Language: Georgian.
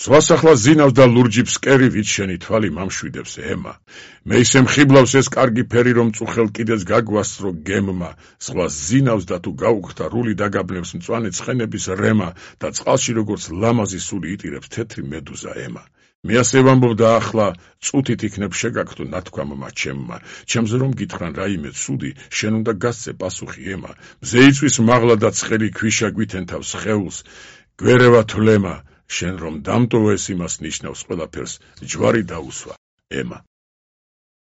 ზღვას ახლა ზინავს და ლურჯი ფსკერი, ვით შენი თვალი მამშვიდებს ემა. მე ისე მხიბლავს ეს კარგი ფერი, რომ წუხელ კიდეც გაგვასწრო გემმა. ზღვას ზინავს და თუ გაუხდა რული დაგაბნევს მწვანე ცხენების რემა და წყალში როგორც ლამაზი სული იტირებს თეთრი მედუზა ემა. მე ასე ვამბობ და ახლა წუთით იქნებ შეგაგდო ნათქვამმა ჩემმა. ჩემზე რომ გითხრან რაიმე ცუდი, შენ უნდა გასცე პასუხი ემა. მზე იწვის მაღლა და ცხელი ქვიშა გვითენთავს სხეულს. გვერევა თვლემა, შენ რომ დამტოვე ეს იმას ნიშნავს ყველაფერს ჯვარი დაუსვა ემა.